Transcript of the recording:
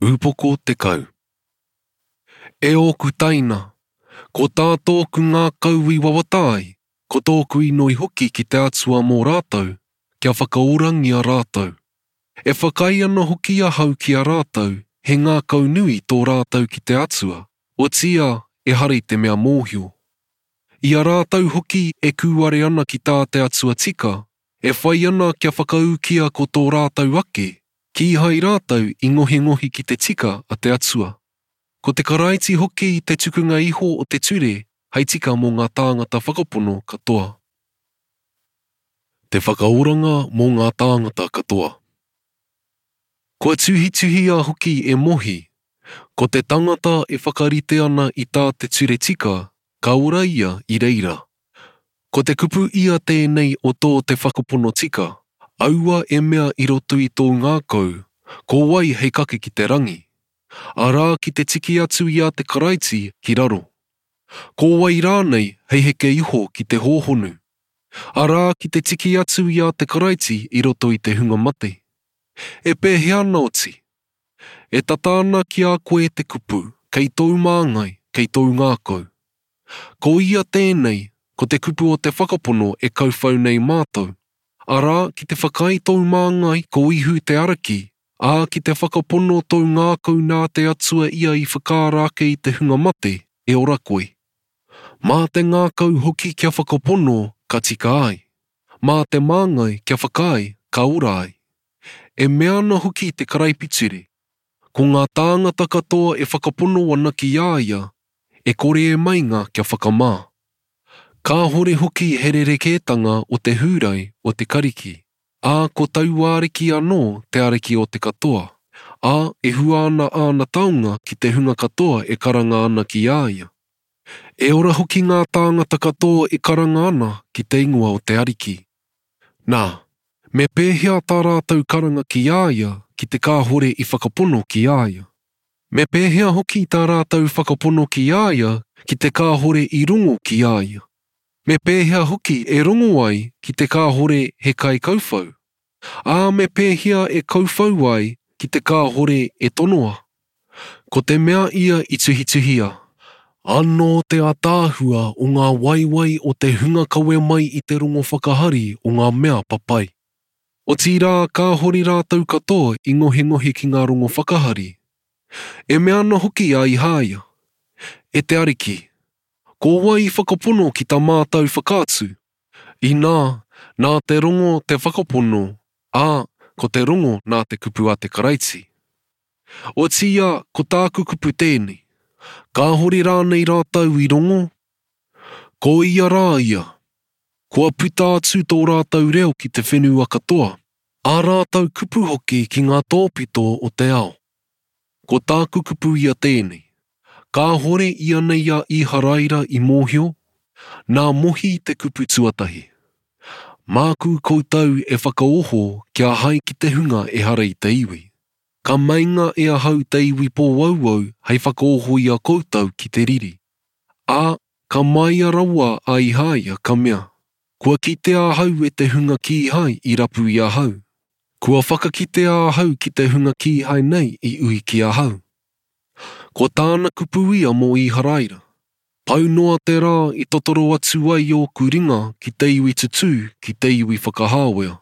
Ūpoko 10. E ōku taina, ko tā tōku ngākau i wawata ai, ko tōku inoi hoki ki te Atua mō rātou, kia whakaorangia rātou. E whakaae ana hoki ahau ki a rātou, he ngākau nui tō rātou ki te Atua, otiia ehara i te mea mōhio. I a rātou hoki e kūare ana ki tā te Atua tika, e whai ana kia whakaūkia ko tō rātou ake, Kīhai rātou i ngohingohi ki te tika a te Atua. Ko te Karaiti hoki te tukunga iho o te ture hei tika mō ngā tāngata whakapono katoa. Te whakaoranga mō ngā tāngata katoa. Kua tuhituhia hoki e Mohi, Ko te tangata e whakarite ana i tā te ture tika, ka ora ia i reira. Ko te kupu ia tēnei o tō te whakapono tika, aua e mea i roto i tōu ngākau, ko wai hei kake ki te rangi? Arā ki te tiki atu i a te Karaiti ki raro. Ko wai rānei hei heke iho ki te hōhonu? Arā ki te tiki atu i a te Karaiti i roto i te hunga mate. E pēhea ana oti? E tata ana ki a koe te kupu, kei tōu māngai, kei tōu ngākau. Ko ia tēnei, ko te kupu o te whakapono e kauwhau nei mātou, arā, ki te whakaae tōu māngai ko Ihu te Ariki, ā, ki te whakapono tōu ngākau nā te Atua ia i whakaara ake i te hunga mate, e ora koe. Mā te ngākau hoki kia whakapono ka tika ai. Mā te māngai kia whakaae ka ora ai. E mea ana hoki te karaipiture, Ko ngā tāngata katoa e whakapono ana ki a ia, e kore e meinga kia whakamā. Kāhore hoki he rerekētanga o te Hūrai, o te Kariki, ā, ko taua Ariki anō te Ariki o te katoa, ā, e hua ana āna taonga ki te hunga katoa e karanga ana ki a ia. E ora hoki ngā tāngata katoa e karanga ana ki te ingoa o te Ariki. Nā, me pēhea tā rātou karanga ki a ia ki te kāhore i whakapono ki a ia? Me pēhea hoki tā rātou whakapono ki a ia ki te kāhore i rongo ki a ia? Me pēhea hoki e rongo ai ki te kāhore he kaikauwhau? Ā, me pēhea e kauwhau ai ki te kāhore e tonoa? Ko te mea ia i tuhituhia. Anō te ātaahua o ngā waewae o te hunga kawe mai i te rongo whakahari o ngā mea papai. Otirā kāhore rātou katoa i ngohengohe ki ngā rongo whakahari. E mea ana hoki a Ihāia, E te Ariki, ko wai i whakapono ki tā mātou whakaatu? Inā, nā te rongo te whakapono, ā, ko te rongo nā te kupu a te Karaiti. Otiia, ko tāku kupu tēnei, kāhore rānei rātou i rongo? Ko ia rā ia, Kua puta atu tō rātou reo ki te whenua katoa, ā rātou kupu hoki ki ngā tōpito o te ao. Ko tāku kupu ia tēnei, Kāhore ianei a Īharaira i mōhio? Nā Mohi te kupu tuatahi. Māku koutou e whakaoho kia hae ki te hunga ehara i te iwi. Ka meinga e ahau te iwi pōauau hei whakaoho i a koutou ki te riri. Ā, ka māia rawa a Ihāia, ka mea, Kua kitea ahau e te hunga kīhai i rapu i ahau. Kua whakakitea ahau ki te hunga kīhai nei i ui ki ahau. Ko tāna kupu ia mō Īharaira, Pau noa te rā i totoro atu ai ōku ringa ki te iwi tutū, ki te iwi whakahāwea.